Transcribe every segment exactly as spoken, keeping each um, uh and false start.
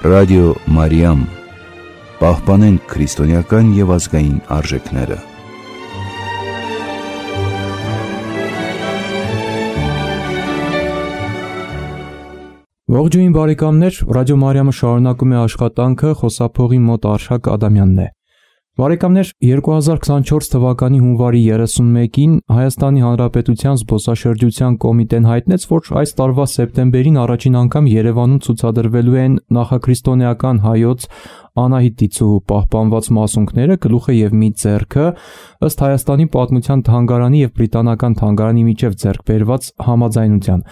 Ռադիո Մարիամ, պահպանենք քրիստոնեական և ազգային արժեքները։ Ողջույն բարեկամներ, Ռադիո Մարիամը շարունակում է աշխատանքը, խոսափողի մոտ Արշակ Ադամյանն է։ Բարեկամներ, երկու հազար քսանչորս թվականի հունվարի երեսունմեկին Հայաստանի Հանրապետության զբոսաշրջության կոմիտեն հայտնեց, որ այս տարվա սեպտեմբերին առաջին անգամ Երևանում ցուցադրվելու են նախաքրիստոնեական հայոց Անահիտ Դիցուհու պահպանված մասունքները, գլուխը և մի ձեռքը, ըստ Հայաստանի պատմության թանգարանի և բրիտանական թանգարանի միջև ձեռք բերված համաձայնության։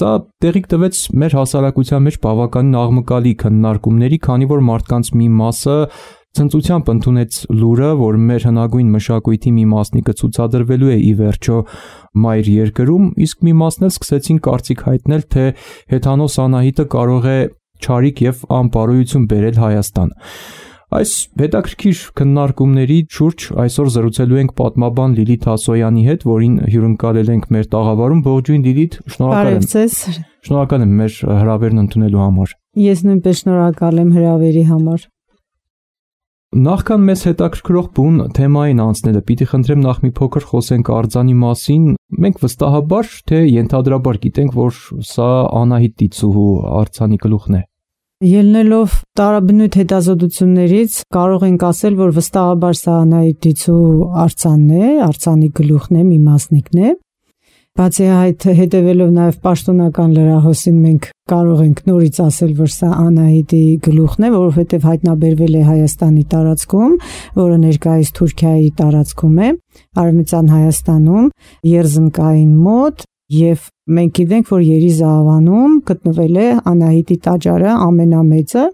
Սա տեղիք տվեց մեր հասարակության մեջ բավականին աղմկալի քննարկումների, քանի որ մարդկանց մի մասը ցնծությամբ ընդունեց լուրը, որ մեր հնագույն մշակույթի մի մասնիկը ցուցադրվելու է ի վերջո մայր երկրում, իսկ մի մասն էլ սկսեցին կարծիք հայտնել, թե հեթանոս Անահիտը կարող է չարիք և անպարոյություն բերել Հայաստան։ Այս հետաքրքիր քննարկումների շուրջ այսօր զրուցելու ենք պատմաբան Լիլիթ Ասոյանի հետ, որին հյուրընկալել ենք մեր տաղավարում։ Ողջույն Լիլիթ, շնորհակալ եմ։ Շնորհակալ եմ մեր հրավերն ընդունելու համար։ Ես նույնպես շնորհակալ եմ հրավերի համար։ Նախքան մեզ հետաքրքրող բուն թեմային անցնելը, պիտի խնդրեմ նախ մի փոքր խոսենք արձանի մասին։ Մենք վստահաբար թե ենթադրաբար գիտենք, որ սա Անահիտ Դիցուհու արձանի գլուխն է։ Ելնելով տարաբնույթ հետազոտություններից կարող ենք ասել, որ վստահաբար սա Անահիտ Դիցուհու արձանն է, արձանի գլուխն է, մի մասնիկն է։ Բացի այդ, հետևելով նաև պաշտոնական լրահոսին, մենք կարող ենք նորից ասել, որ սա Անահիտի գլուխն է, որովհետև հայտնաբերվել է Հայաստանի տարածքում, որը ներկայիս Թուրքիայի տարածքում է, Արևմտյան Հայաստանում, Երզնկային մոտ, եւ մենք գիտենք, որ Երիզավանում գտնվել է Անահիտի տաճարը ամենամեծը,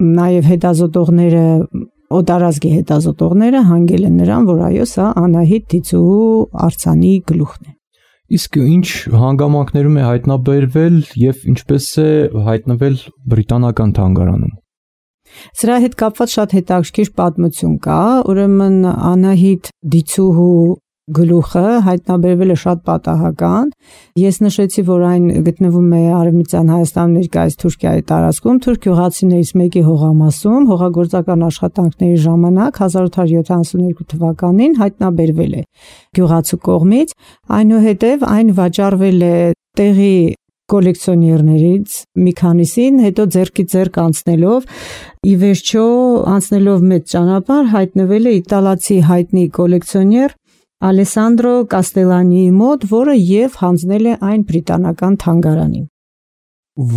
նաև հետազոտողները, օտարազգի հետազոտողները հանգել են նրան, որ այո, սա Անահիտ Դիցուհու արձանի գլուխն է։ Իսկ ինչ հանգամանքներում է հայտնաբերվել եւ ինչպես է հայտնվել բրիտանական թանգարանում։ Սրա հետ կապված շատ հետաքրքիր պատմություն կա, ուրեմն Անահիտ Դիցուհու գլուխը հայտնաբերվել է շատ պատահական։ Ես նշեցի, որ այն գտնվում է Արևմտյան Հայաստանում, ներկայիս Թուրքիայի տարածքում, թուրք գյուղացիներից մեկի հողամասում, հողագործական աշխատանքների ժամանակ հազար ութ հարյուր յոթանասունյոթ թվականին հայտնաբերվել է գյուղացու կողմից, այնուհետև այն վաճառվել է տեղի կոլեկցիոներներից մի քանիսին, հետո ձեռքի ձեռք անցնելով, ի վերջո անցնելով մեծ ճանապարհ հայտնվել է իտալացի հայտնի կոլեկցիոներ Ալեսանդրո Կաստելանիի մոտ, որը եւ հանձնել է այն բրիտանական թանգարանին։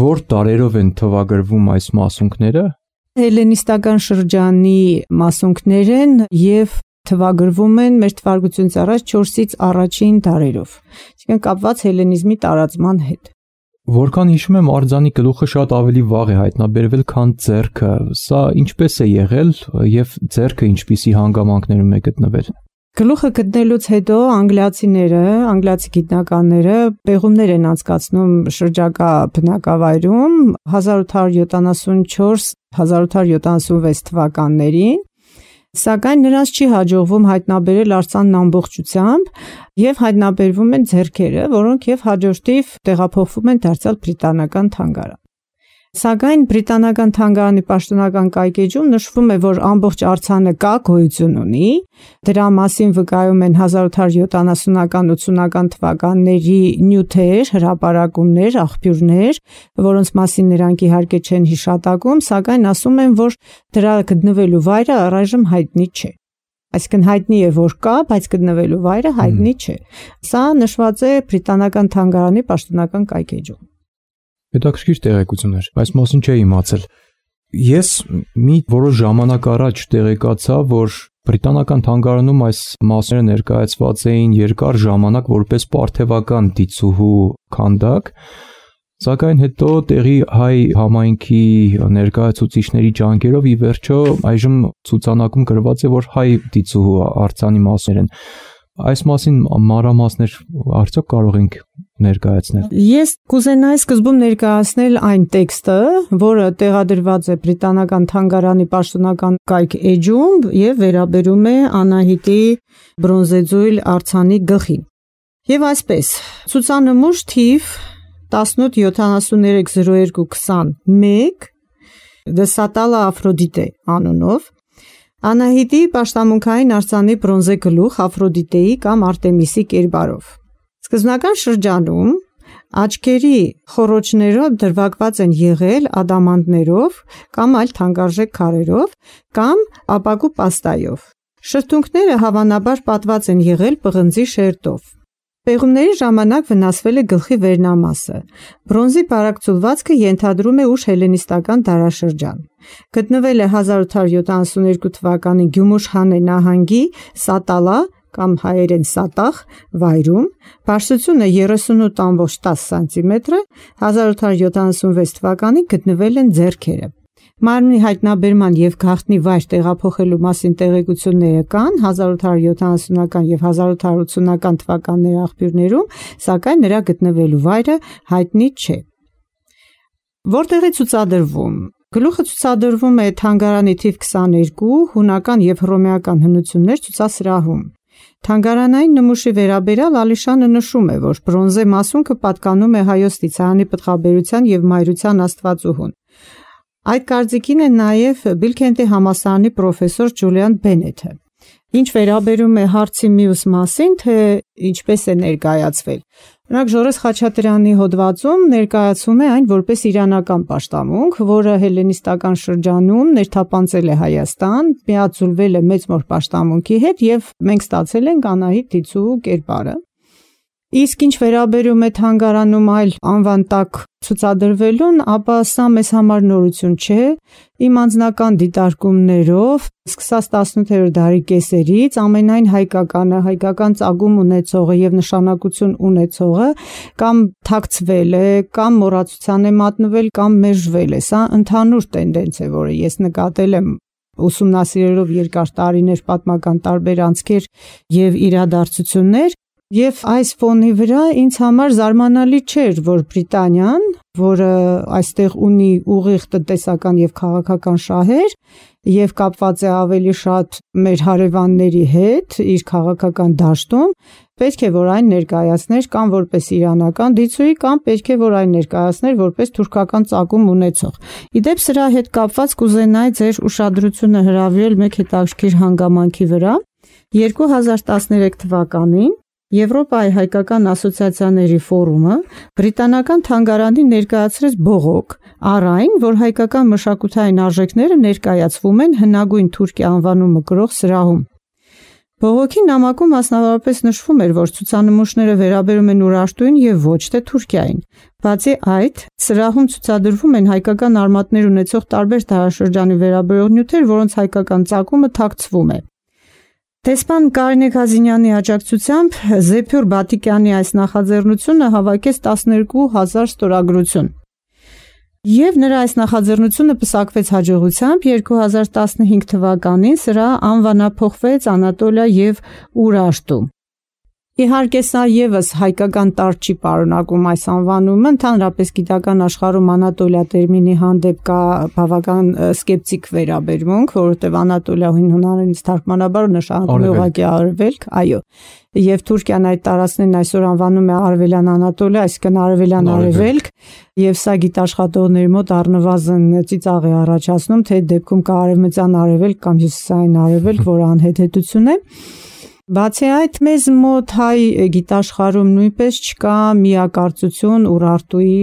Որ տարերով են թվագրվում այս մասունքները։ Հելենիստական շրջանի մասունքներ են եւ թվագրվում են մեր թվարկությունից առաջ չորսից առաջին դարերով, այսինքն կապված հելենիզմի տարածման հետ։ Որքան հիշում եմ, արձանի գլուխը շատ ավելի վաղ է հայտնաբերվել, քան ձեռքը։ Սա ինչպես է եղել եւ ձեռքը ինչպիսի հանգամանքներում է գտնվել։ Գլուխը գտնելուց հետո անգլիացիները, անգլիացի գիտնականները պեղումներ են անցկացնում շրջակա բնակավայրում հազար ութ հարյուր յոթանասունչորս հազար ութ հարյուր յոթանասունվեց թվականներին, սակայն նրանց չի հաջողվում հայտնաբերել արձանն ամբողջությամբ եւ հայտնաբերվում են ձեռքերը, որոնք եւ հաջորդիվ տեղափոխվում են դարձյալ բրիտանական թանգարան։ Սակայն բրիտանական թանգարանի պաշտոնական կայքեջում նշվում է, որ ամբողջ արձանը կա, գոյություն ունի, դրա մասին վկայում են հազար ութ հարյուր յոթանասունական ութսունական թվականների նյութեր, հրապարակումներ, աղբյուրներ, որոնց մասին նրանք իհարկե չեն հիշատակում, սակայն ասում են, որ դրա գտնվելու վայրը առայժմ հայտնի չէ։ Այսինքն հայտնի է, որ կա, բայց գտնվելու վայրը հայտնի չէ։ Սա նշված է բրիտանական թանգարանի պաշտոնական կայքեջում։ Հետաքրքիր տեղեկություն էր, այս մասին չէի իմացել։ Ես մի որոշ ժամանակ առաջ տեղեկացա, որ բրիտանական թանգարանում այս մասերը ներկայացված էին երկար ժամանակ որպես պարթևական Դիցուհու քանդակ, սակայն հետո տեղի հայ համայնքի ներկայացուցիչների ջանքերով ի վերջո այժմ ցուցանակում գրված է, որ հայ Դիցուհու արձանի մասեր են։ Այս մասին մանրամասներ արդյոք կարող ենք ներկայացնել։ Ես կուզենայի սկզբում ներկայացնել այն տեքստը, որը տեղադրված է բրիտանական թանգարանի պաշտոնական կայք էջում եւ վերաբերում է Անահիտի բրոնզեձույլ արձանի գլխին։ Եվ այսպես, ցուցանմուշ թիվ տասնութ յոթանասուններեք զրո երկու քսանմեկ Դեսատալա Աֆրոդիտե անունով, Անահիտի պաշտամունքային արձանի բրոնզե գլուխ Աֆրոդիտեի կամ Արտեմիսի կերպարով։ Սկզբնական շրջանում աչքերի խոռոչները դրվագված են եղել ադամանդներով կամ այլ թանկարժեք քարերով կամ ապակու պաստայով։ Շրթունքները հավանաբար պատված են եղել պղնձի շերտով։ Պեղումների ժամանակ վնասվել է գլխի վերնամասը։ Բրոնզի բարակցուլվածքը ենթադրում է ուշ հելենիստական դարաշրջան։ Գտնվել է հազար ութ հարյուր յոթանասունհինգ թվականի Գյումուշ-Հանե նահանգի Սատալա կամ հայերեն Սատախ վայրում, բարձրությունը երեսունութ տասնյոթ սանտիմետր, հազար ութ հարյուր յոթանասունվեց թվականին գտնվել են ձեռքերը։ Մարմնի հայտնաբերման և գաղտնի վայր տեղափոխելու մասին տեղեկությունները կան հազար ութ հարյուր յոթանասունական և հազար ութ հարյուր ութսունական թվականների աղբյուրներում, սակայն նրա գտնվելու վայրը հայտնի չէ։ Որտեղ է ցուցադրվում։ Գլուխը ցուցադրվում է թանգարանի թիվ քսաներկու հունական և հռոմեական հնություններ ցուցասրահում։ Թանգարանային նմուշի վերաբերյալ Ալիշանը նշում է, որ բրոնզե մասունքը պատկանում է Հայոց Տիցահանի պտղաբերության և մայրության աստվածուհուն։ Այդ կարծիքին է նաև Բիլքենտի համալսարանի պրոֆեսոր Ջուլիան Բենեթը։ Ինչ վերաբերում է հարցի մյուս մասին, թե ինչպես է ներկայացվել։ Օրինակ Ժորես Խաչատրյանի հոդվածում ներկայացում է այն որպես իրանական պաշտամունք, որը հելենիստական շրջանում ներթափանցել է Հայաստան, միաձուլվել է մեծ մոր պաշտամունքի հետ և մենք ստացել ենք Անահիտ Դիցու կերպարը։ Իսկ ինչ վերաբերում է թանգարանում այլ անվան տակ ցուցադրվելուն, ապա սա մեզ համար նորություն չէ։ Իմ անձնական դիտարկումներով, սկսած տասնութերորդ դարի կեսերից, ամենայն հայկականը, հայկական ծագում ունեցողը և նշանակություն ունեցողը կամ թաքցվել է, կամ մոռացության է մատնվել, կամ մերժվել է։ Սա ընդհանուր տենդենց է, որը ես նկատել եմ ուսումնասիրելով երկար տարիներ պատմական տարբեր անցքեր և իրադարձություններ։ Եվ այս ֆոնի վրա ինձ համար զարմանալի չէր, որ Բրիտանիան, որը այստեղ ունի ուղիղ տնտեսական և քաղաքական շահեր և կապված է ավելի շատ մեր հարևանների հետ իր քաղաքական դաշտում, պետք է որ այն ներկայացներ կամ որպես իրանական դիցուի, կամ պետք է որ այն ներկայացներ որպես թուրքական ծագում ունեցող։ Իդեպ սրա հետ կապված կուզենայի ձեր ուշադրությունը հրավիրել մեկ հետաքրքիր հանգամանքի վրա։ երկու հազար տասներեք թվականին Եվրոպայի հայկական ասոցիացիաների ֆորումը բրիտանական թանգարանին ներկայացրեց բողոք առ այն, որ հայկական մշակութային արժեքները ներկայացվում են հնագույն Թուրքիա անվանումը կրող սրահում։ Բողոքի նամակում մասնավորապես նշվում էր, որ ցուցանմուշները վերաբերում են Ուրարտուին և ոչ թե Թուրքիային։ Բացի այդ, սրահում ցուցադրվում են հայկական արմատներ ունեցող տարբեր դարաշրջանի վերաբերող նյութեր, որոնց հայկական ծագումը թաքցվում է։ Դեսպան Կարինե Քազինյանի աջակցությամբ Զեփյուր Բաթիկյանի այս նախաձեռնությունը հավաքեց տասներկու հազար ստորագրություն։ Եվ նրա այս նախաձեռնությունը պսակվեց հաջողությամբ, երկու հազար տասնհինգ թվականին սրա անվանափոխվեց Անատոլիա և Ուրարտու։ Իհարկե սա ևս հայկական տարր չի պարունակում այս անվանումը, ընդհանրապես գիտական աշխարհում Անատոլիա տերմինի հանդեպ կա բավական սկեպտիկ վերաբերմունք, որովհետև Անատոլիա հին հունարենից թարգմանաբար նշանակում է ուղղակի արևելք, այո։ Եվ Թուրքիան այդ տարածքներն այսօր անվանում է Արևելյան Անատոլիա, այսինքն Արևելյան Արևելք, եւ սա գիտաշխատողների մոտ առնվազն ծիծաղ է առաջացնում, թե դեպքում կա Արևմտյան Արևելք կամ Հյուսիսային Արևելք, որը անհեթեթություն է։ Բացի այդ, մեզ մոտ հայ գիտաշխարհում նույնպես չկա միակարծություն Ուրարտուի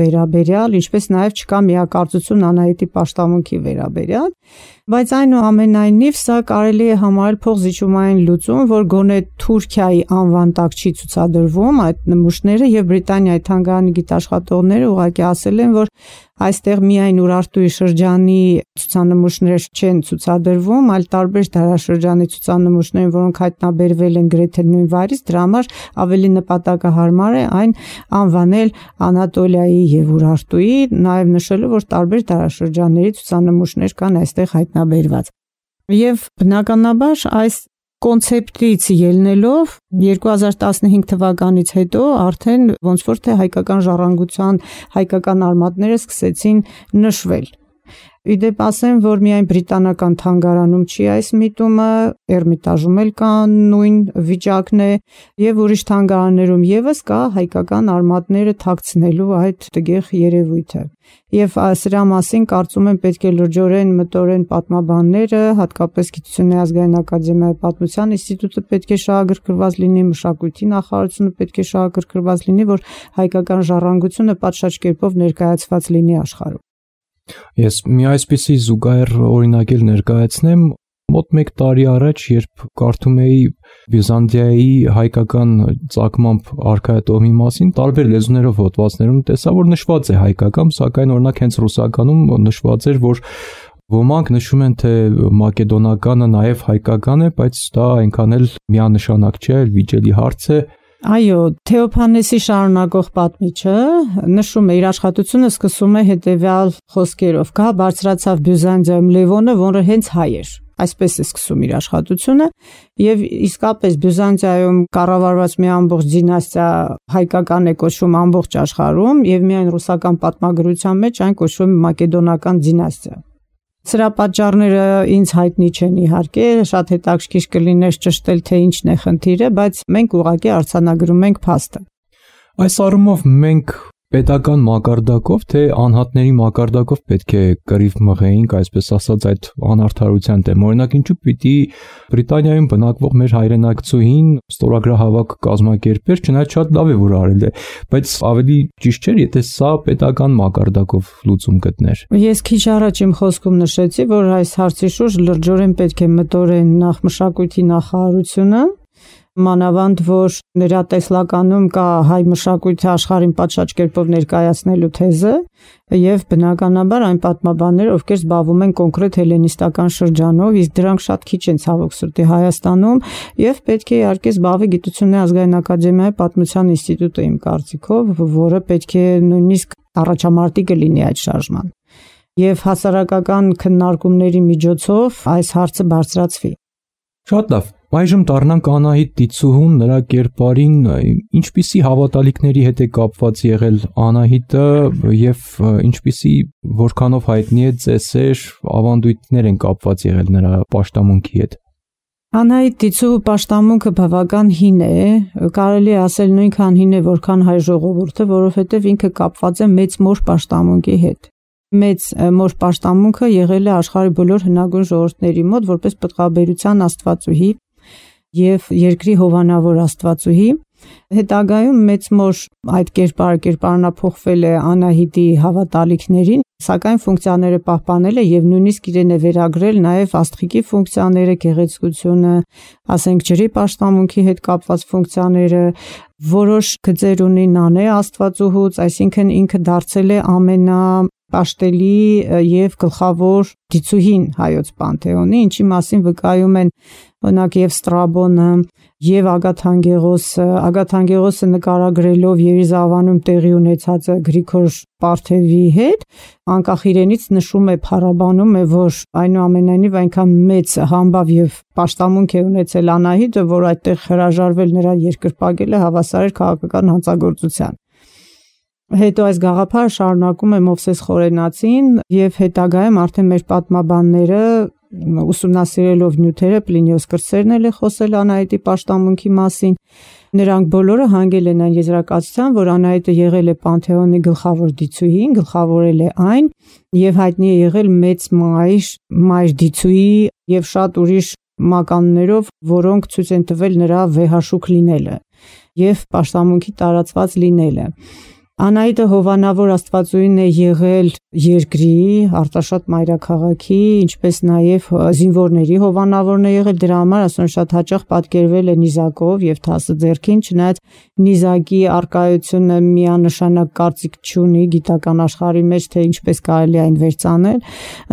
վերաբերյալ, ինչպես նաև չկա միակարծություն Անահիտի պաշտամունքի վերաբերյալ, բայց այնուամենայնիվ սա կարելի է համարել փոխզիջումային լուծում, որ գոնե Թուրքիայի անվան տակ չի ցուցադրվում այդ նմուշները, եւ Բրիտանիայի թանգարանի գիտաշխատողները ուղղակի ասել են, որ այստեղ միայն Ուրարտուի շրջանի ցուցանմուշներ չեն ցուցադրվում, այլ տարբեր դարաշրջանի ցուցանմուշներ, որոնք հայտնաբերվել են գրեթե նույն վայրից, դրա համար ավելի նպատակահարմար է այն անվանել Անատոլիայի եւ Ուրարտուի, նաեւ նշելով, որ տարբեր դարաշրջանների ցուցանմուշներ կան այստեղ հայտնաբերված։ Եվ բնականաբար այս կոնցեպտից ելնելով երկու հազար տասնհինգ թվականից հետո արդեն ոնց որ թե հայկական ժառանգության հայկական արմատները սկսեցին նշվել։ Իդեպ ասեմ, որ միայն բրիտանական թանգարանում չի այս միտումը, Էրմիտաժում էլ կա նույն վիճակն է եւ ուրիշ թանգարաններում եւս կա հայկական արմատները թաքցնելու այդ տգեղ երևույթը։ Եվ սրա մասին կարծում եմ պետք է լրջորեն մտորեն պատմաբանները, հատկապես Գիտությունների ազգային ակադեմիայի պատմության ինստիտուտը պետք է շահագրգռված լինի, մշակույթի նախարարությունը պետք է շահագրգռված լինի, որ հայկական ժառանգությունը պատշաճ կերպով ներկայացված լինի աշխարհում։ Ես մի այսպիսի զուգահեռ օրինակ էլ ներկայացնեմ, մոտ մեկ տարի առաջ, երբ կարդում էի Բյուզանդիայի հայկական ծագմամբ արքայատոհմի մասին, տարբեր լեզուներով հոդվածներում տեսա, որ նշված է հայկական, սակայն օրինակ հենց ռուսականում նշված էր, որ ոմանք նշում են, թե մակեդոնականը նաև հայկական է, բայց դա այնքան էլ միանշանակ չէ, վիճելի հարց է։ Այո, Թեոփանեսի շարունակող պատմիչը նշում է իր աշխատությունը սկսում է հետևյալ խոսքերով. «Կա բարձրացավ Բյուզանդիայում Լևոնը, որը հենց հայ էր»։ Այսպես է սկսում իր աշխատությունը, եւ իսկապես Բյուզանդիայում կառավարված մի ամբողջ դինաստիա հայկական է կոչվում ամբողջ աշխարհում, եւ միայն ռուսական պատմագրության մեջ այն կոչվում է մակեդոնական դինաստիա։ Սրա պատճառները ինձ հայտնի չեն իհարկե, շատ հետաքրքիր կլիներ ճշտել, թե ինչն է խնդիրը, բայց մենք ուղղակի արձանագրում ենք փաստը։ Այս առումով մենք պետական մակարդակով, թե անհատների մակարդակով պետք է կռիվ մղեինք, այսպես ասած, այդ անարդարության դեմ։ Օրինակ, ինչու պիտի Բրիտանիայում բնակվող մեր հայրենակցուհին ստորագրահավաք կազմակերպեր, չնայած շատ լավ է, որ արել է, բայց ավելի ճիշտ չէր, եթե սա պետական մակարդակով լուծում գտներ։ Ես քիչ առաջ իմ խոսքում նշեցի, որ այս հարցի շուրջ լրջորեն պետք է մտորեն նախ մշակույթի նախարարությունը, մանավանդ որ նրա տեսլականում կա հայ մշակույթի աշխարհին պատշաճ կերպով ներկայացնելու թեզը եւ բնականաբար այն պատմաբանները, ովքեր զբաղվում են կոնկրետ հելենիստական շրջանով, իսկ դրանք շատ քիչ են ցավոք սրտի Հայաստանում, եւ պետք է իհարկե զբաղվի Գիտությունների ազգային ակադեմիայի պատմության ինստիտուտը իմ կարծիքով, որը պետք է նույնիսկ առաջամարտիկը լինի այդ շարժման եւ հասարակական քննարկումների միջոցով այս հարցը բարձրացվի։ Շատ լավ։ Այժմ դառնանք Անահիտ Տիցուհուն, նրա կերպարին, ինչպիսի հավատալիքների հետ է կապված եղել Անահիտը եւ ինչպիսի որքանով հայտնի է ծեսեր, ավանդույթներ են կապված եղել նրա պաշտամունքի հետ։ Անահիտ Տիցուհու պաշտամունքը բավական հին է, կարելի է ասել նույնքան հին է, որքան հայ ժողովուրդը, որովհետեւ ինքը կապված է մեծ մոր պաշտամունքի հետ։ Մեծ մոր պաշտամունքը եղել է աշխարհի բոլոր հնագույն ժողովուրդների մոտ որպես պտղաբերության աստվածուհի եւ երկրի հովանավոր աստվածուհի։ Հետագայում մեծ մոր այդ կերպարը կերպարանափոխվել է Անահիտի հավատալիքներին, սակայն ֆունկցիաները պահպանել է եւ նույնիսկ իրեն է վերագրել նաեւ աստղիկի ֆունկցիաները, գեղեցկությունը, ասենք ջրի պաշտամունքի հետ կապված ֆունկցիաները, որոշ գծեր ունի Նանե աստվածուհուց, այսինքն ինքը դարձել է ամենա պաշտելի եւ գլխավոր դիցուհին հայոց պանթեոնի, ինչի մասին վկայում են օրինակ եւ Ստրաբոնը եւ Ագաթանգեղոսը, Ագաթանգեղոսը նկարագրելով Երիզավանում տեղի ունեցածը Գրիգոր Պարթևի հետ, անկախ իրենից նշում է փառաբանում է, որ այնուամենայնիվ այնքան մեծ համբավ եւ պաշտամունք է ունեցել Անահիտը, որ այդտեղ հրաժարվել նրա երկրպագելը հավասար էր քաղաքական հանցագործության։ Հետո այս գաղափարը շարունակում է Մովսես Խորենացին եւ հետագայում արդեն մեր պատմաբանները ուսումնասիրելով նյութերը Պլինիոս Կրտսերն էլ է խոսել Անահիտի պաշտամունքի մասին։ Նրանք բոլորը հանգել են այն եզրակացության, որ Անահիտը եղել է Պանթեոնի գլխավոր դիցուհին, գլխավորել է այն եւ հայտնի է եղել մեծ մայր, մայր դիցուհի եւ շատ ուրիշ մականներով, որոնք ցույց են տվել նրա վեհաշուք լինելը եւ պաշտամունքի տարածված լինելը։ Անահիտը հովանավոր աստվածուհին է եղել երկրի, Արտաշատ մայրաքաղաքի, ինչպես նաև զինվորների հովանավորն է եղել, դրա համար ասում շատ հաճախ պատկերվել է նիզակով եւ թասը ձեռքին, չնայած նիզակի արկայությունը միանշանակ կարծիք չունի գիտական աշխարհի մեջ, թե ինչպես կարելի այն վերցանել։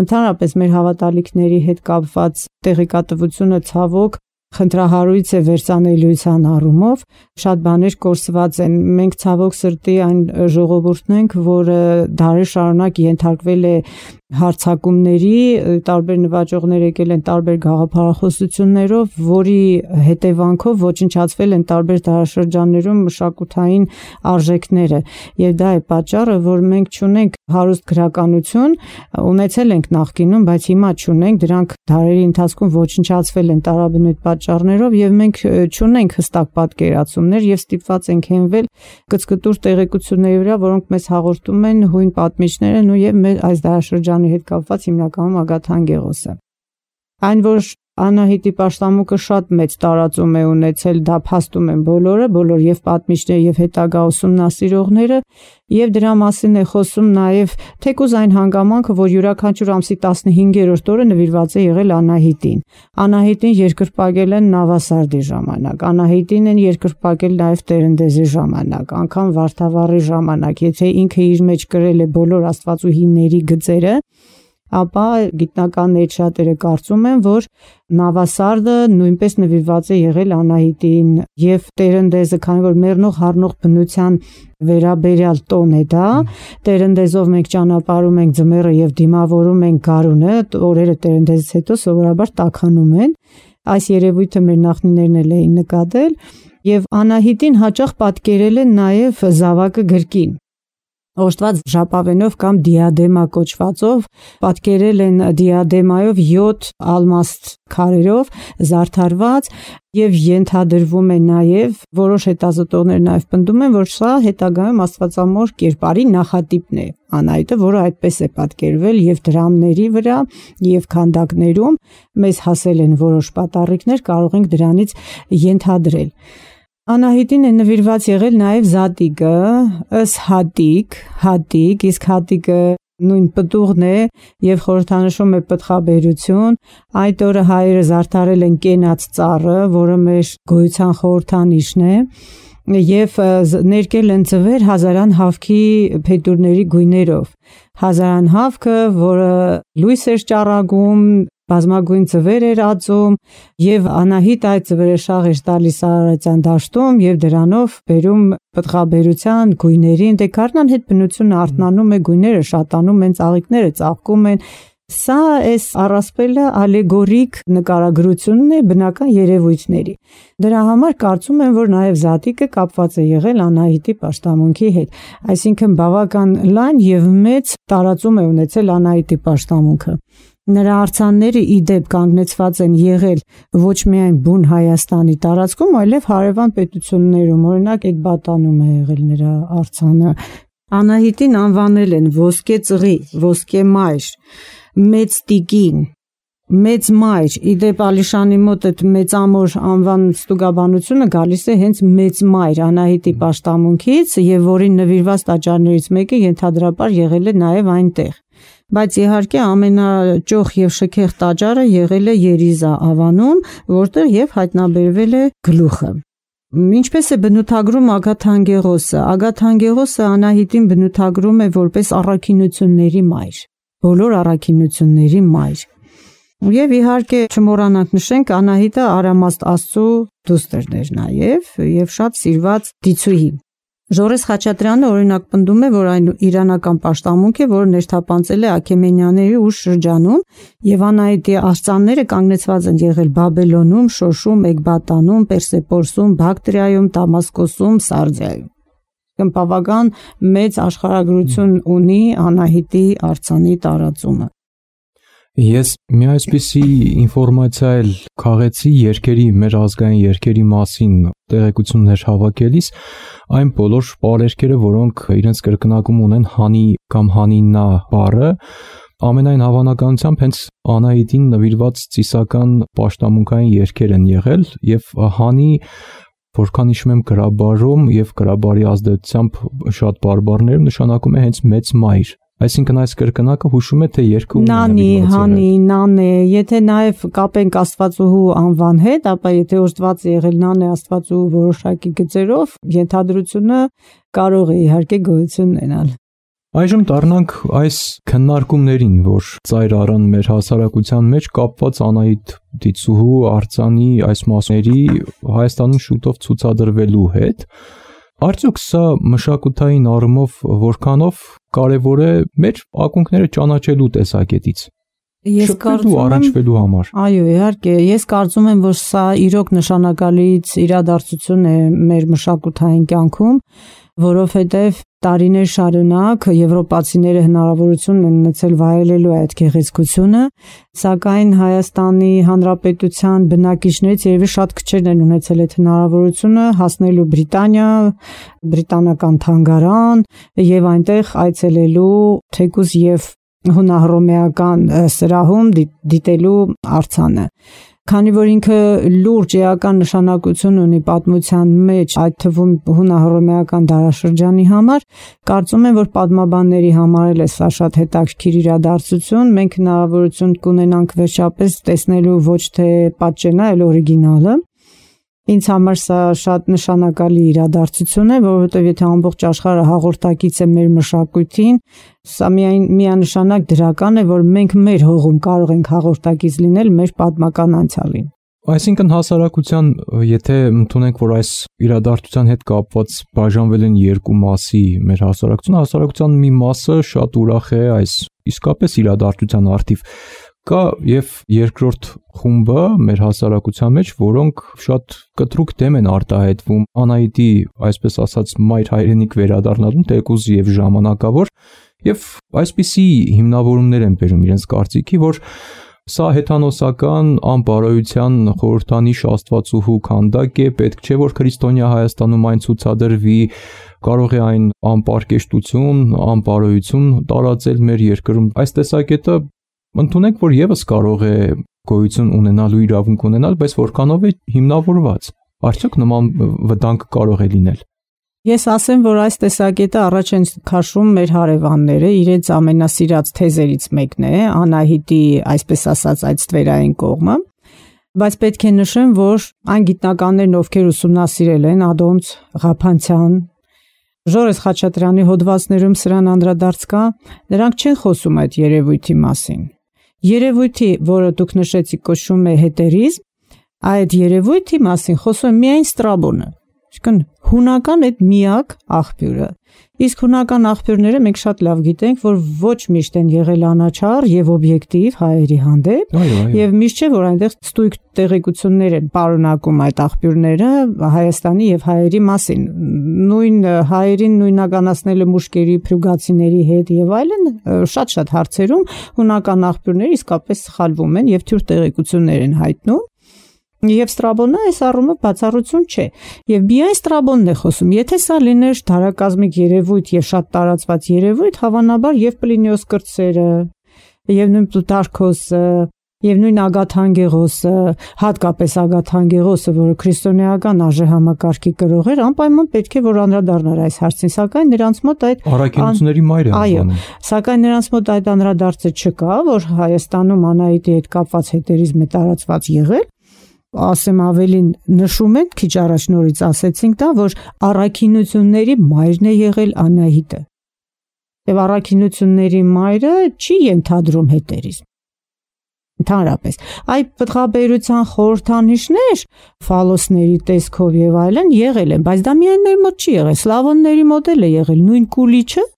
Ընդհանրապես մեր հավատալիքների հետ կապված տեղեկատվությունը ցավոք խնդրահարույց է վերծանելիության առումով, շատ բաներ կորսված են։ Մենք ցավոք սրտի այն ժողովուրդն ենք, որը դարեր շարունակ ենթարկվել է հարցակումների, տարբեր նվաճողներ եկել են տարբեր գաղափարախոսություններով, որի հետևանքով ոչնչացվել են տարբեր դարաշրջաններում մշակութային արժեքները, եւ դա է պատճառը, որ մենք չունենք հարուստ գրականություն, ունեցել ենք նախկինում, բայց հիմա չունենք, դրանք դարերի ընթացքում ոչնչացվել են տարաբնույթ պատճառներով, եւ մենք չունենք հստակ պատկերացումներ եւ ստիպված ենք հենվել կծկտուր տեղեկությունների վրա, որոնք մեզ հաղորդում են հույն պատմիչներն ու եւ մեր այս դարաշրջանի հետ կապված հիմնականում Ագաթան Գեղոսը։ Այն, որ Անահիտի պաշտամունքը շատ մեծ տարածում է ունեցել, դա փաստում են բոլորը, բոլոր եւ պատմիչները եւ հետագա ուսումնասիրողները, եւ դրա մասին է խոսում նաեւ թեկուզ այն հանգամանքը, որ յուրաքանչյուր ամսի տասնհինգերորդ օրը նվիրված է եղել Անահիտին։ Անահիտին երկրպագել են Նավասարդի ժամանակ, Անահիտին են երկրպագել նաեւ Տերնդեզի ժամանակ, անգամ Վարդավառի ժամանակ, եթե ինքը իր մեջ կրել է բոլոր աստվածուհիների գծերը, ապա գիտնականներից շատերը կարծում են, որ Նավասարդը նույնպես նվիրված է եղել Անահիտին եւ Տերնդեզը, քանի որ մեռնող հառնող բնության վերաբերյալ տոն է դա, Տերնդեզով մենք ճանապարհում ենք ձմեռը եւ դիմավորում ենք գարունը, օրերը Տերնդեզից հետո սովորաբար տաքանում են։ Այս երևույթը մեր նախնիներն էլ էին նկատել եւ Անահիտին հաճախ պատկերել են նաեւ զավակը գրկին։ Օժտված ժապավենով կամ դիադեմա կոչվածով պատկերել են դիադեմայով յոթ ալմաստ քարերով զարդարված եւ ենթադրվում է նաեւ որոշ հետազոտողներ նաեւ պնդում են, որ սա հետագայում աստվածամոր կերպարի նախատիպն է Անահիտը, որը այդպես է պատկերվել եւ դրամների վրա եւ քանդակներում մեզ հասել են որոշ պատառիկներ, կարող ենք դրանից ենթադրել։ Անահիտին է նվիրված եղել նաև Զատիկը, ըստ Հատիկ, Հատիկ, իսկ Հատիկը նույն պտուղն է եւ խորհրդանշում է պտղաբերություն։ Այդ օրը հայերը զարդարել են կենաց ծառը, որը մեր գոյության խորհրդանիշն է, եւ ներկել են ծվեր հազարան հավքի փետուրների գույներով։ Հազարան հավքը, որը լույս էր ճառագում, բազմագույն ծվեր էր ածում եւ Անահիտ այդ ծվերը շաղ էր տալիս Արարատյան դաշտում եւ դրանով բերում պտղաբերության գույներին, դե քարնան հետ բնությունը արթնանում է, գույները շատանում են, ծաղիկները ծաղկում են։ Սա էս առասպելը ալեգորիկ նկարագրությունն է բնական երևույթների։ Դրա համար կարծում եմ, որ նաև Զատիկը կապված է եղել Անահիտի պաշտամունքի հետ, այսինքն բավական լայն եւ մեծ տարածում է ունեցել Անահիտի պաշտամունքը։ Նրա արձանները ի դեպ կանգնեցված են եղել ոչ միայն բուն Հայաստանի տարածքում, այլև հարևան պետություններում, օրինակ Էկբատանում է եղել նրա արձանը։ Անահիտին անվանել են ոսկե ծղի, ոսկե մայր, մեծ տիկին, մեծ մայր։ Ի դեպ Ալիշանի մոտ այդ մեծամոր անվան ստուգաբանությունը գալիս է հենց մեծ մայր Անահիտի պաշտամունքից եւ որին նվիրված տաճարներից մեկը ենթադրաբար եղել է նաեւ այնտեղ։ Բայց իհարկե ամենաճոխ եւ շքեղ տաճարը եղել է Երիզա ավանում, որտեղ եւ հայտնաբերվել է գլուխը։ Ինչպես է բնութագրում Ագաթան Գեղոսը։ Ագաթան Գեղոսը Անահիտին բնութագրում է որպես առաքինությունների մայր, բոլոր առաքինությունների մայր։ Եվ իհարկե չմոռանանք նշենք Անահիտը Արամաստ Աստծո դուստերն էր նաեւ եւ շատ սիրված դիցուհի։ Ժորես Խաչատրյանը օրինակ պնդում է, որ այն իրանական պաշտամունք է, որը ներթափանցել է Աքեմենյանների ուշ շրջանում եւ Անահիտի արձանները կանգնեցված են եղել Բաբելոնում, Շոշում, Էկբատանում, Պերսեպորսում, Բակտրիայում, Դամասկոսում, Սարդիայում։ Բավական մեծ աշխարհագրություն ունի Անահիտի արձանի տարածումը։ Ես մի այսպիսի ինֆորմացիա էլ քաղեցի երկերի, մեր ազգային երկերի մասին տեղեկություններ հավաքելիս, այն բոլոր պարերքերը, որոնք իրենց կրկնակում ունեն հանի կամ հանիննա բառը, ամենայն հավանականությամբ հենց Անահիտին նվիրված ծիսական պաշտամունքային երկեր են եղել եւ հանի, որքան հիշում եմ գրաբարում եւ գրաբարի ազդեցությամբ շատ բարբառներում նշանակում է հենց մեծ մայր։ Այսինքն այս կրկնակը հուշում է, թե երկը ունի նանի, հանի, նանե, եթե նաև կապենք Աստվածուհու անվան հետ, ապա եթե օժտված է եղել նանե Աստվածուհու որոշակի գծերով, ենթադրությունը կարող է իհարկե գոյություն ունենալ։ Այժմ դառնանք այս քննարկումներին, որ ծայր առան մեր հասարակության մեջ կապված Անահիտ Դիցուհու արձանի այս մասերի Հայաստանում շուտով ցուցադրվելու հետ։ Արդյոք սա մշակութային առումով որքանով կարևոր է մեր ակունքները ճանաչելու տեսակետից։ Ես կարծում եմ առնչվելու համար։ Այո, իհարկե, ես կարծում եմ, որ սա իրոք նշանակալից իրադարձություն է մեր մշակութային կյանքում, որովհետև տարիներ շարունակ եվրոպացիները հնարավորություն են ունեցել վայելելու այդ գեղեցկությունը, սակայն Հայաստանի Հանրապետության բնակիչներից երևի շատ քչերն են ունեցել այդ հնարավորությունը հասնելու Բրիտանիա, բրիտանական թանգարան եւ այնտեղ այցելելու թեկուզ եւ հունահռոմեական սրահում դիտելու արձանը։ Քանի որ ինքը լուրջ էական նշանակություն ունի պատմության մեջ, այդ թվում հունահռոմեական դարաշրջանի համար, կարծում եմ, որ պատմաբանների համար էլ է սա շատ հետաքրքիր իրադարձություն, մենք հնարավորություն կունենանք վերջապես տեսնելու ոչ թե պատճենա, այլ օրիգինալը։ Ինձ համար սա շատ նշանակալի իրադարձություն է, որովհետև եթե ամբողջ աշխարհը հաղորդակից է մեր մշակույթին, սա միայն միանշանակ դրական է, որ մենք մեր հողում կարող ենք հաղորդակից լինել մեր պատմական անցյալին։ Այսինքն հասարակության, եթե ընդունենք, որ այս իրադարձության հետ կապված բաժանվել են երկու մասի մեր հասարակությունը, հասարակության մի մասը շատ ուրախ է այս իսկապես իրադարձության առթիվ, կա եւ երկրորդ խումբը մեր հասարակության մեջ, որոնք շատ կտրուկ դեմ են արտահայտվում Անահիտի, այսպես ասած, մայր հայրենիք վերադառնալուն, թեկուզ եւ ժամանակավոր, եւ այսպիսի հիմնավորումներ են բերում իրենց կարծիքի, որ սա հեթանոսական անբարոյության խորհրդանիշ աստվածուհու քանդակ է, պետք չէ որ քրիստոնյա Հայաստանում այն ցուցադրվի, կարող է այն անպարկեշտություն, անբարոյություն տարածել մեր երկրում։ Այս տեսակետը ընդունենք, որ եւս կարող է գոյություն ունենալու իրավունք ունենալ, բայց որքանով է հիմնավորված։ Արդյոք նման վտանգ կարող է լինել։ Ես ասեմ, որ այս տեսակետը առաջ են քաշում մեր հարևանները, իրենց ամենասիրած թեզերից մեկն է, Անահիտի, այսպես ասած, այդ ստվերային կողմը, բայց պետք է նշեմ, որ այն գիտնականներն, ովքեր ուսումնասիրել են Ադոնց, Ղափանցյան, Ժորես Խաչատրյանի հոդվածներում սրան անդրադարձ կա, նրանք չեն խոսում այդ երևույթի մասին։ Երևույթի, որը դուք նշեցիք, կոչվում է հետերիզմ, այդ երևույթի մասին խոսում է միայն Ստրաբոնը, այսինքն հունական այդ միակ աղբյուրը։ Իսկ հունական աղբյուրները մենք շատ լավ գիտենք, որ ոչ միշտ են եղել անաչառ եւ օբյեկտիվ հայերի հանդեպ, եւ միշտ չէ, որ այնտեղ ստույգ տեղեկություններ են պարունակում այդ աղբյուրները Հայաստանի եւ հայերի մասին։ Նույն հայերին նույնականացնելը մուշկերի, փրուգացիների հետ եւ այլն շատ-շատ հարցերում հունական աղբյուրները իսկապես սխալվում են եւ թյուր տեղեկություններ են հայտնում։ Եվ Ստրաբոնը այս առումով բացառություն չէ։ Եվ միայն Ստրաբոնն է խոսում։ Եթե սա լիներ դարակազմիկ երևույթ եւ շատ տարածված երևույթ, հավանաբար եւ Պլինիոս կրտսերը, եւ նույն Պլուտարքոսը, եւ նույն Ագաթանգեղոսը, հատկապես Ագաթանգեղոսը, որը քրիստոնեական արժե համակարգի կրող էր, անպայման պետք է որ անդրադառնար այս հարցին, սակայն նրանց մոտ այդ առաքինությունների մայր է անվանում։ Սակայն նրանց մոտ այդ անդրադարձը չկա, որ Հայաստանում Անահիտի հետ կապված հետերիզմ է տարածված եղել։ Ասեմ ավելին նշում են, քիչ առաջ նորից ասեցինք դա, որ առաքինությունների մայրն է եղել Անահիտը։ Եվ առաքինությունների մայրը չի ենթադրում հետերիզմ։ Ընդհանրապես, այդ պտղաբերության խորհրդանիշներ ֆալոսների տեսքով եւ այլն եղել են, բայց դա միայն մեր մոտ չի եղել, սլավոնների մոտ էլ է եղել, նույն Կուլիչը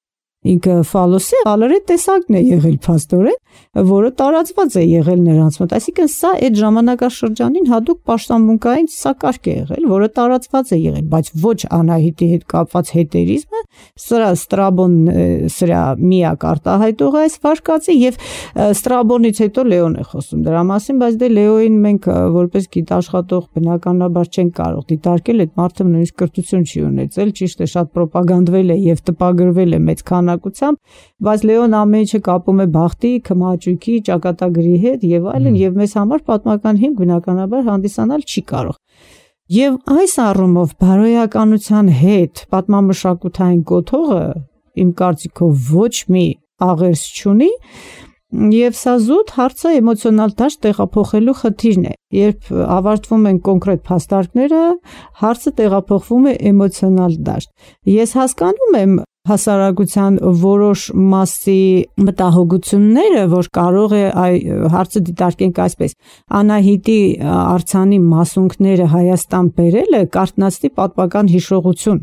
ինքը ֆալոսի ալարե տեսակն է եղել փաստորեն, որը տարածված է եղել նրանց մոտ։ Այսինքն սա այդ ժամանակաշրջանին հատուկ պաշտամունքային սակարգ է եղել, որը տարածված է եղել, բայց ոչ Անահիտի հետ կապված հետերիզմը, սրա Ստրաբոնն սրա միակ արտահայտողը այս վարկածի եւ Ստրաբոնից հետո Լեոն է խոսում դրա մասին, բայց դե Լեոին մենք որպես գիտաշխատող բնականաբար չենք կարող դիտարկել, այդ մարդը նույնիսկ կրթություն չի ունեցել, ճիշտ է, շատ ռոպագանդվել է եւ տպագրվել է մեծ քանակությամբ, բայց Լեոն ամեն ինչը կապում է բախտի, քմաճույքի, ճակատագրի հետ եւ այլն, եւ մեզ համար պատմական հիմք բնականաբար հանդիսանալ չի կարող։ Եվ այս առումով բարոյականության հետ պատմամշակութային կոթողը իմ կարծիքով ոչ մի աղերս չունի, եւ սա զուտ հարցը էմոցիոնալ դաշտ տեղափոխելու խնդիրն է։ Երբ ավարտվում են կոնկրետ փաստարկները, հարցը տեղափոխվում է էմոցիոնալ դաշտ։ Ես հասկանում եմ հասարակության որոշ մասի մտահոգությունները, որ կարող է այ հարցը դիտարկենք այսպես, Անահիտի արձանի մասունքները Հայաստան բերելը կարթնացնի պատմական հիշողություն,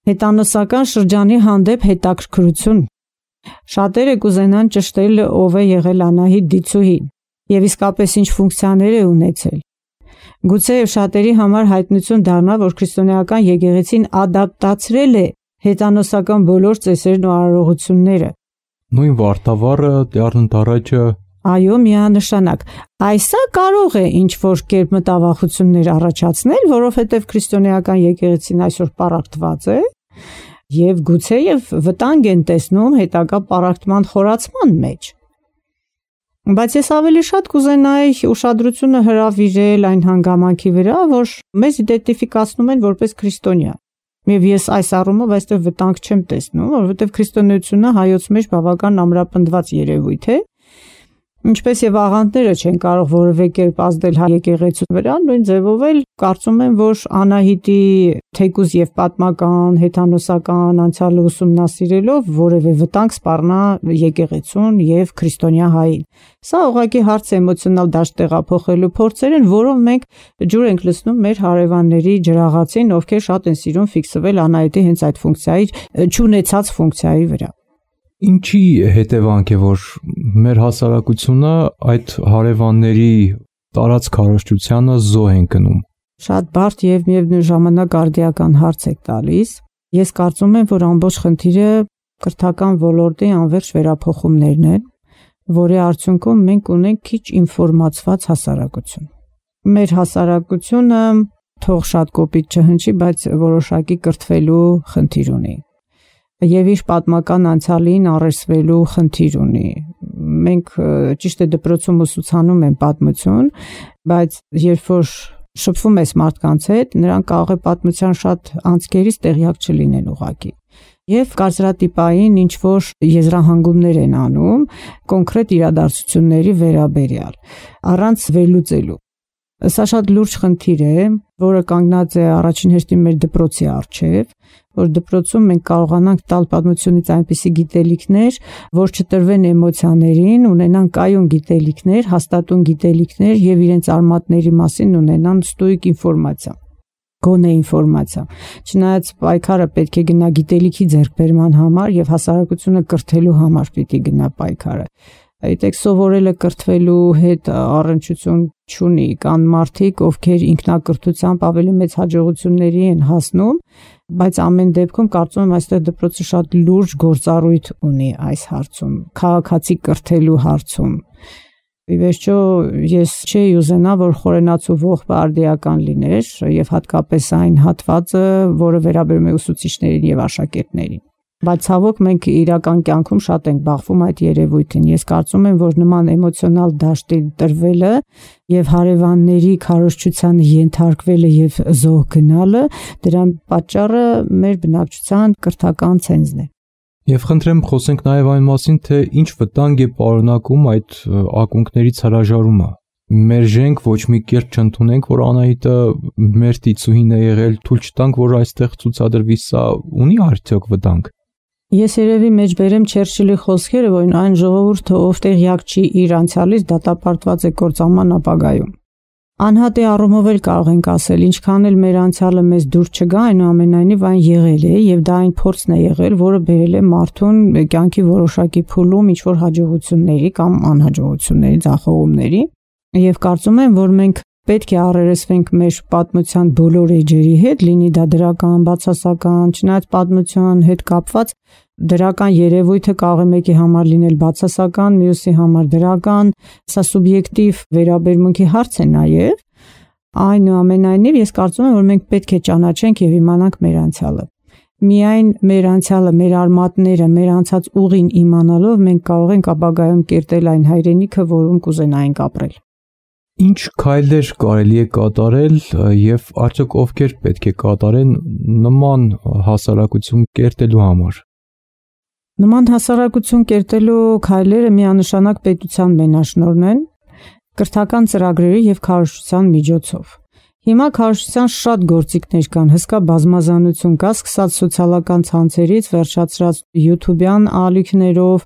հետանոսական շրջանի հանդեպ հետաքրքրություն։ Շատերը կուզենան ճշտել ով է եղել Անահիտ դիցուհին եւ իսկապես ինչ ֆունկցիաներ է ունեցել։ Գուցե շատերի համար հայտնություն դառնա, որ քրիստոնեական եկեղեցին ադապտացրել է հետանոսական բոլոր ծեսերն ու արարողությունները։ Նույն Վարդավառը, Տյառն Դարաճը։ Այո, միանշանակ։ Այսա կարող է ինչ-որ կերպ մտավախություններ առաջացնել, որովհետև քրիստոնեական եկեղեցին այսօր պառակտված է եւ գուցեև վտանգ են տեսնում հետագա պառակտման խորացման մեջ։ Բայց ես ավելի շատ կուզենայի ուշադրությունը հրավիրել այն հանգամանքի վրա, որ մեզ իդենտիֆիկացնում են որպես քրիստոնյա։ Եվ ես այս առումով այստեղ վտանգ չեմ տեսնում, որովհետև քրիստոնեությունը հայոց մեջ բավական ամրապնդված երևույթ է, ինչպես եւ աղանդները չեն կարող որևէ կերպ ազդել հայ եկեղեցու վրա, նույն ձևով էլ կարծում եմ, որ Անահիտի թեկուզ եւ պատմական, հեթանոսական անցյալը ուսումնասիրելով որևէ վտանգ սպառնա եկեղեցուն եւ քրիստոնյա հային։ Սա ուղղակի հարց էմոցիոնալ դաշտ տեղափոխելու փորձեր են, որով մենք ջուր ենք լցնում մեր հարևանների ջրաղացին, ովքեր շատ են սիրում ֆիքսվել Անահիտի հենց այդ ֆունկցիայի, չունեցած ֆունկցիայի վրա։ Ինչի հետևանք է, որ մեր հասարակությունը այդ հարևանների տարած քարոզչությանը զոհ են կնում։ Շատ բարդ եւ միևնույն ժամանակ արդիական հարց եք տալիս։ Ես կարծում եմ, որ ամբողջ խնդիրը կրթական ոլորտի անվերջ վերափոխումներն են, որի արդյունքում մենք ունենք քիչ ինֆորմացված հասարակություն։ Մեր հասարակությունը թող շատ կոպիտ չհնչի, բայց որոշակի կրթվելու խնդիր ունի։ Եվ իր պատմական անցյալին առերսվելու խնդիր ունի։ Մենք ճիշտ է դպրոցում ուսուցանում են պատմություն, բայց երբ որ շփվում ես մարդկանց հետ, նրանք կարող է պատմության շատ անցքերից տեղյակ չլինեն ուղղակի։ Եվ կարծրատիպային ինչ որ եզրահանգումներ են անում կոնկրետ իրադարձությունների վերաբերյալ, առանց վերլուծելու։ Սա շատ լուրջ խնդիր է, որը կանգնած է առաջին հերթին մեր դպրոցի առջև, որ դպրոցում մենք կարողանանք տալ պատմությունից այնպիսի գիտելիքներ, որ չտրվեն էմոցիաներին, ունենան կայուն գիտելիքներ, հաստատուն գիտելիքներ եւ իրենց արմատների մասին ունենան ստույգ ինֆորմացիա, գոնե ինֆորմացիա։ Չնայած պայքարը պետք է գնա գիտելիքի ձեռքբերման համար եւ հասարակությունը կրթելու համար պիտի գնա պայքարը։ Այդտեղ սովորելը կրթվելու հետ առնչություն չունի, կան մարդիկ, ովքեր ինքնակրթությամբ ավելի մեծ հաջողությունների են հասնում, բայց ամեն դեպքում կարծում եմ այստեղ դպրոցը շատ լուրջ գործառույթ ունի այս հարցում, քաղաքացի կրթելու հարցում։ Ի վերջո ես չէի ուզենա, որ խորենացու ողբը արդիական լիներ եւ հատկապես այն հատվածը, որը վերաբերում է ուսուցիչներին եւ աշակերտներին։ Բայց ցավոք մենք իրական կյանքում շատ ենք բախվում այդ երևույթին։ Ես կարծում եմ, որ նման էմոցիոնալ դաշտի տրվելը եւ հարևանների քարոզչությանը ենթարկվելը եւ զոհ գնալը, դրան պատճառը մեր բնակչության կրթական ցենզն է։ Եվ խնդրեմ խոսենք նաեւ այն մասին, թե ինչ վտանգ է պարունակում այդ ակունքներից հրաժարումը։ Մերժենք, ոչ մի կերպ չընդունենք, որ Անահիտը մեր տիցուհին է եղել, թույլ չտանք, որ այստեղ ցուցադրվի, սա ունի արդյոք վտանգ։ Ես երևի մեջ բերեմ Չերչիլի խոսքերը, որ այն ժողովուրդը, ով տեղյակ չի իր անցյալից, դատապարտված է կործանման ապագայում։ Անհատի առումով էլ կարող ենք ասել, ինչքան էլ մեր անցյալը մեզ դուր չգա, այնուամենայնիվ այն եղել է եւ դա այն փորձն է եղել, որը բերել է մարդուն կյանքի որոշակի փուլում ինչ որ հաջողությունների կամ անհաջողությունների, ձախողումների, եւ կարծում եմ, որ մենք պետք է առերեսվենք մեր պատմության բոլոր էջերի հետ, լինի դա դրական, բացասական, չնայած պատմության հետ կապված դրական երևույթը կարող է մեկի համար լինել բացասական, մյուսի համար դրական, սա սուբյեկտիվ վերաբերմունքի հարց է նաև, այնուամենայնիվ ես կարծում եմ, որ մենք պետք է ճանաչենք եւ իմանանք մեր անցյալը։ Միայն մեր անցյալը, մեր արմատները, մեր անցած ուղին իմանալով մենք կարող ենք ապագայում կերտել այն հայրենիքը, որում կուզենայինք ապրել։ Ինչ քայլեր կարելի է կատարել եւ արդյոք ովքեր պետք է կատարեն նման հասարակություն կերտելու համար։ Նման հասարակություն կերտելու քայլերը միանշանակ պետության մենաշնորհն են, կրթական ծրագրերի եւ քարոզչության միջոցով։ Հիմա քարոզչության շատ գործիքներ կան, հսկա բազմազանություն կա, սկսած սոցիալական ցանցերից, վերջացրած YouTube-յան ալիքներով,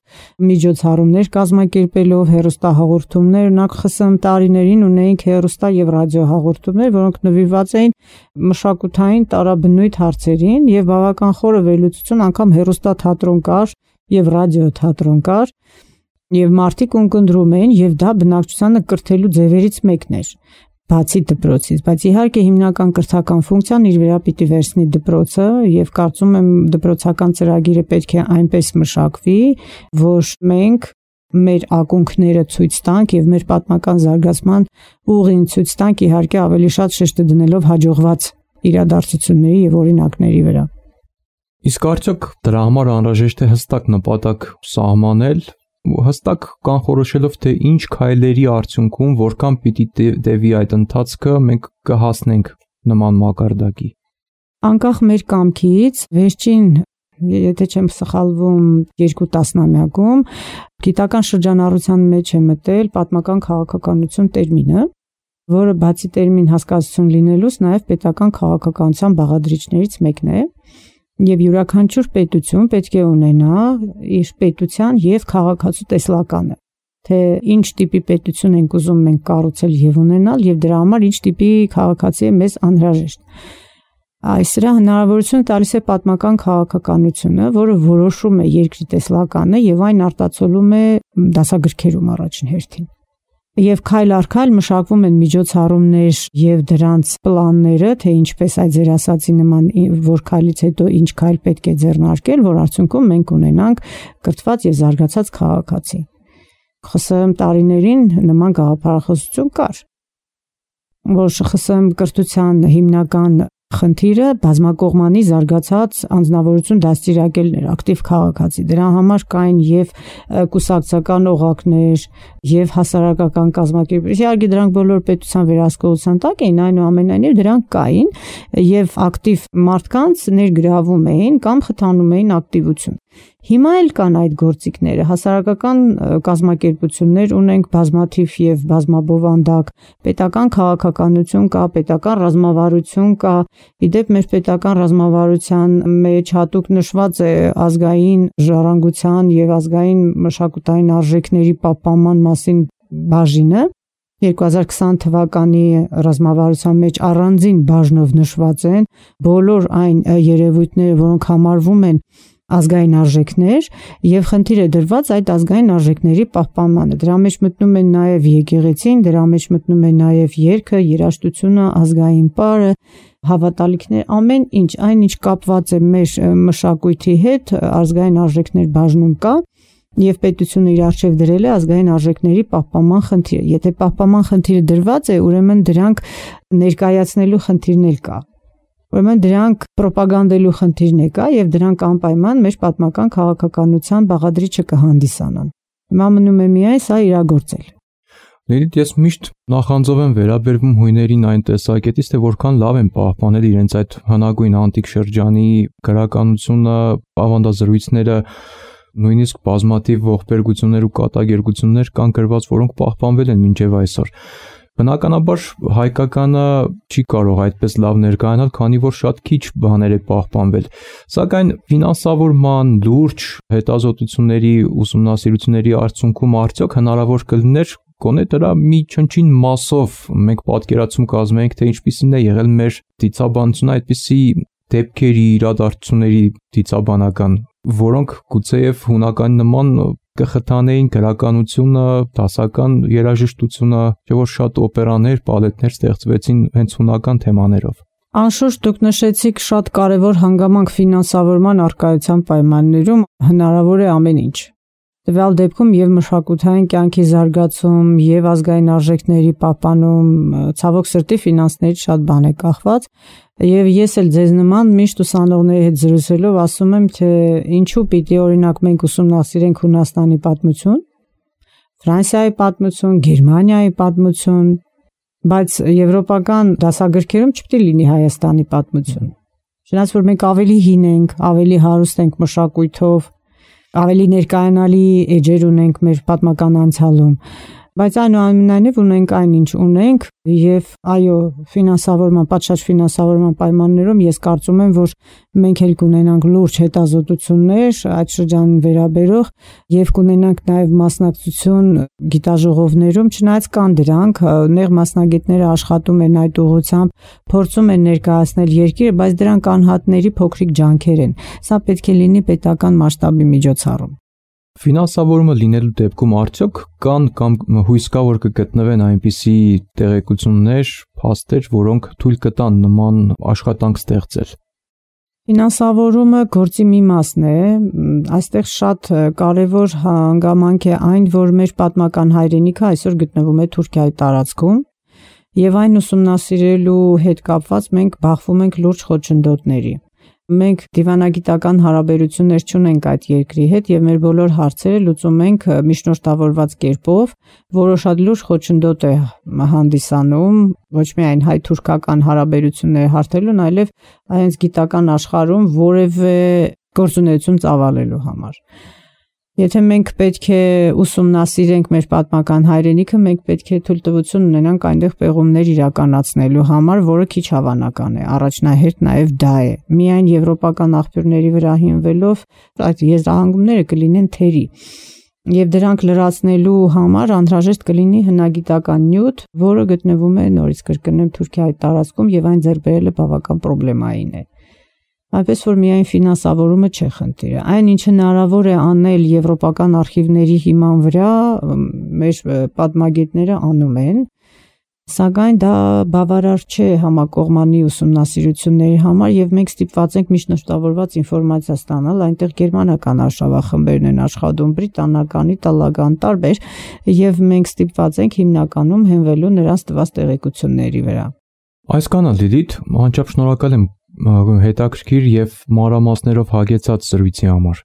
միջոցառումներ կազմակերպելով, հեռուստահաղորդումներ, օրինակ ԽՍՀՄ տարիներին ունեինք հեռուստա եւ ռադիոհաղորդումներ, որոնք նվիրված էին մշակութային տարաբնույթ հարցերին եւ բավական խորը վերլուծություն, անգամ հեռուստաթատրոն կար եւ ռադիոթատրոն կար, եւ մարդիկ ունկնդրում էին եւ դա բնակչությանը կրթելու ձևերից մեկն էր։ Բացի դպրոցից, բայց իհարկե հիմնական կրթական ֆունկցիան իր վրա պիտի վերցնի դպրոցը եւ կարծում եմ դպրոցական ծրագիրը պետք է այնպես մշակվի, որ մենք մեր ակունքները ցույց տանք եւ մեր պատմական զարգացման ուղին ցույց տանք, իհարկե ավելի շատ շեշտը դնելով հաջողված իրադարձությունների եւ օրինակների վրա։ Իսկ արդյոք դրա համար անհրաժեշտ է հստակ նպատակ սահմանել, հստակ կանխորոշելով թե ինչ քայլերի արդյունքում որքան պիտի տևի այդ ընթացքը մենք կհասնենք նման մակարդակի։ Անկախ մեր կամքից վերջին, եթե չեմ սխալվում, երկու տասնամյակում գիտական շրջանառության մեջ է մտել պատմական քաղաքականություն տերմինը, որը բացի տերմին հասկացություն լինելուց նաև պետական քաղաքականության բաղադրիչներից մեկն է։ Եվ յուրաքանչյուր պետություն պետք է ունենա իր պետության եւ քաղաքացու տեսլականը, թե ինչ տիպի պետություն ենք ուզում մենք կառուցել եւ ունենալ եւ դրա համար ինչ տիպի քաղաքացի է մեզ անհրաժեշտ։ Այս սրա հնարավորությունը տալիս է պատմական քաղաքականությունը, որը որոշում է երկրի տեսլականը եւ այն արտացոլում է դասագրքերում առաջին հերթին։ Եվ քայլ առ քայլ մշակվում են միջոցառումներ եւ դրանց պլանները, թե ինչպես այդ ձեր ասացի նման որ քայլից հետո ինչ քայլ պետք է ձեռնարկել, որ արդյունքում մենք ունենանք կրթված եւ զարգացած քաղաքացի։ ԽՍՀՄ տարիներին նման գաղափարախոսություն կար, որ ԽՍՀՄ կրթության հիմնական խնդիրը բազմակողմանի զարգացած անձնավորություն դաստիարակելն էր, ակտիվ քաղաքացի։ Դրա համար կային եւ կուսակցական օղակներ, եւ հասարակական կազմակերպություններ։ Իհարկե դրանք բոլոր պետության վերահսկողության տակ էին, այնուամենայնիվ դրանք կային եւ ակտիվ մարդկանց ներգրավում էին կամ խթանում էին ակտիվություն։ Հիմա էլ կան այդ գործիքները, հասարակական կազմակերպություններ ունենք բազմաթիվ եւ բազմաբովանդակ, պետական քաղաքականություն կա, պետական ռազմավարություն կա, իդեպ մեր պետական ռազմավարության մեջ հատուկ նշված է ազգային ժառանգության եւ ազգային մշակութային արժեքների պահպանման մասին բաժինը, երկու հազար քսան թվականի ռազմավարության մեջ առանձին բաժնով նշված են բոլոր այն երևույթները, որոնք համարվում են ազգային արժեքներ եւ խնդիր է դրված այդ ազգային արժեքների պահպանմանը։ Դրա մեջ մտնում են նաեւ եկեղեցին, դրա մեջ մտնում է նաեւ երգը, երաժշտությունը, ազգային պարը, հավատալիքներ, ամեն ինչ, այն ինչ կապված է մեր մշակույթի հետ, ազգային արժեքներ բաժնում կա եւ պետությունը իր արժեվ դրել է ազգային արժեքների պահպանման խնդիրը։ Եթե պահպանման խնդիրը դրված է, ուրեմն դրանք ներկայացնելու խնդիրն էլ կա։ Ուրեմն դրանք ռոպագանդելու խնդիրն է կա եւ դրանք անպայման մեր պատմական քաղաքականության բաղադրիչը կհանդիսանան։ Հիմա մնում է միայն սա իրագործել։ Լիլիթ, ես միշտ նախանձով եմ վերաբերվում հույներին այն տեսակետից, թե որքան լավ են պահպանել իրենց այդ հնագույն անտիկ շրջանի գրականությունը, ավանդազրույցները, նույնիսկ բազմաթիվ ողբերգություններ ու կատակերգություններ կան գրված, որոնք պահպանվել են մինչև այսօր։ Բնականաբար հայկականը չի կարող այդպես լավ ներկայանալ, քանի որ շատ քիչ բաներ է պահպանվել։ Սակայն ֆինանսավորման, լուրջ հետազոտությունների, ուսումնասիրությունների արդյունքում արդյոք հնարավոր կլիներ գոնե դրա մի չնչին մասով մենք պատկերացում կազմենք, թե ինչպիսին է եղել մեր դիցաբանությունը այդպիսի դեպքերի, իրադարձությունների դիցաբանական, որոնք գուցեև հունական նման կխթանեին գրականությունը, դասական երաժշտությունը, չէ՞ որ շատ օպերաներ, պալետներ ստեղծվեցին հենց հունական թեմաներով։ Անշուշտ դուք նշեցիք շատ կարևոր հանգամանք ֆինանսավորման առկայության պայմաններում հնարավոր է ամեն ինչ։ Տվյալ դեպքում եւ մշակութային կյանքի զարգացում եւ ազգային արժեքների պահպանում, ցավոք սրտի ֆինանսներից շատ բան է կախված, եւ ես էլ ձեզ նման միշտ ուսանողների հետ զրուցելով ասում եմ, թե ինչու պիտի օրինակ մենք ուսումնասիրենք Հունաստանի պատմություն, Ֆրանսիայի պատմություն, Գերմանիայի պատմություն, բայց եվրոպական դասագրքերում չպիտի լինի Հայաստանի պատմություն։ Չնայած որ մենք ավելի հին ենք, ավելի հարուստ ենք մշակույթով, ավելի ներկայանալի էջեր ունենք մեր պատմական անցյալում, Բայց այնուամենայնիվ ունենք այն ինչ ունենք եւ այո, ֆինանսավորման, պատշաճ ֆինանսավորման պայմաններում ես կարծում եմ, որ մենք էլ կունենանք լուրջ հետազոտություններ այդ շրջանին վերաբերող եւ կունենանք նաեւ մասնակցություն գիտաժողովներում, չնայած կան դրանք, նեղ մասնագետները աշխատում են այդ ուղղությամբ, փորձում են ներկայացնել երկիրը, բայց դրանք անհատների փոքրիկ ջանքեր են։ Սա պետք է լինի պետական մասշտաբի միջոցառում։ Ֆինանսավորումը լինելու դեպքում արդյոք կան կամ հույս կա, որ կգտնվեն այնպիսի տեղեկություններ, փաստեր, որոնք թույլ կտան նման աշխատանք ստեղծել։ Ֆինանսավորումը գործի մի մասն է, այստեղ շատ կարևոր հանգամանք է այն, որ մեր պատմական հայրենիքը այսօր գտնվում է Թուրքիայի տարածքում, եւ այն ուսումնասիրելու հետ կապված մենք բախվում ենք լուրջ խոչընդոտների։ Մենք դիվանագիտական հարաբերություններ չունենք այդ երկրի հետ եւ մեր բոլոր հարցերը լուծում ենք միջնորդավորված կերպով, որը շատ լուրջ խոչընդոտ է հանդիսանում ոչ միայն հայ-թուրքական հարաբերությունները հարթելուն, այլև այնց գիտական աշխարհում որևէ գործունեություն ծավալելու համար։ Եթե մենք պետք է ուսումնասիրենք մեր պատմական հայրենիքը, մենք պետք է թույլտվություն ունենանք այնտեղ պեղումներ իրականացնելու համար, որը քիչ հավանական է։ Առաջնահերթ նաև դա է։ Միայն եվրոպական աղբյուրների վրա հիմնվելով այդ եզրահանգումները կլինեն թերի։ Եվ դրանք լրացնելու համար անհրաժեշտ կլինի հնագիտական նյութ, որը գտնվում է նորից կրկնեմ Թուրքիայի տարածքում եւ այն ձեռք բերելը բավական պրոբլեմային է։ Այնպես որ միայն ֆինանսավորումը չէ խնդիրը։ Այն ինչ հնարավոր է անել եվրոպական արխիվների հիման վրա, մեր պատմագետները անում են, սակայն դա բավարար չէ համակողմանի ուսումնասիրությունների համար եւ մենք ստիպված ենք միջնորդավորված ինֆորմացիա ստանալ, այնտեղ գերմանական արշավախմբերն են աշխատում, բրիտանական, իտալական, տարբեր, եւ մենք ստիպված ենք հիմնականում հենվելու նրանց տված տեղեկությունների վրա։ Այսքանը Լիլիթ, անչափ շնորհակալ եմ հետաքրքիր եւ մանրամասներով հագեցած զրույցի համար։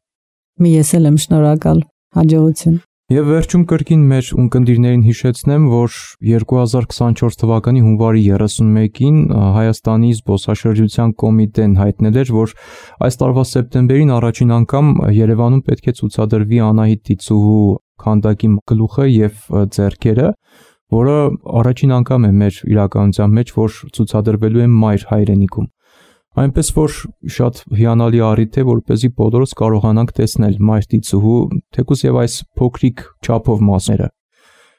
Ես էլ եմ շնորհակալ, հաջողություն։ Եվ վերջում կրկին մեր ունկնդիրներին հիշեցնեմ, որ երկու հազար քսանչորս թվականի հունվարի երեսունմեկին Հայաստանի զբոսաշրջության կոմիտեն հայտնել էր, որ այս տարվա սեպտեմբերին առաջին անգամ Երևանում պետք է ցուցադրվի Անահիտ Տիցուհու քանդակի գլուխը եւ ձեռքերը, որը առաջին անգամ է մեր իրականության մեջ, որ ցուցադրվելու է մայր հայրենիքում։ Այնպես որ շատ հիանալի առիթ է, որպեսզի բոլորս կարողանանք տեսնել մայր Տիցուհու, թեկուզ եւ այս փոքրիկ չափով մասերը։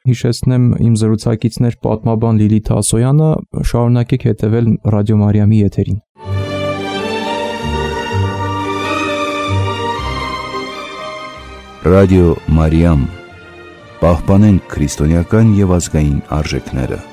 Հիշեցնեմ իմ զրուցակիցներ պատմաբան Լիլիթ Ասոյանը, շարունակեք հետևել Ռադիո Մարիամի եթերին։ Ռադիո Մարիամ, պահպանենք քրիստոնեական եւ ազգային արժեքները։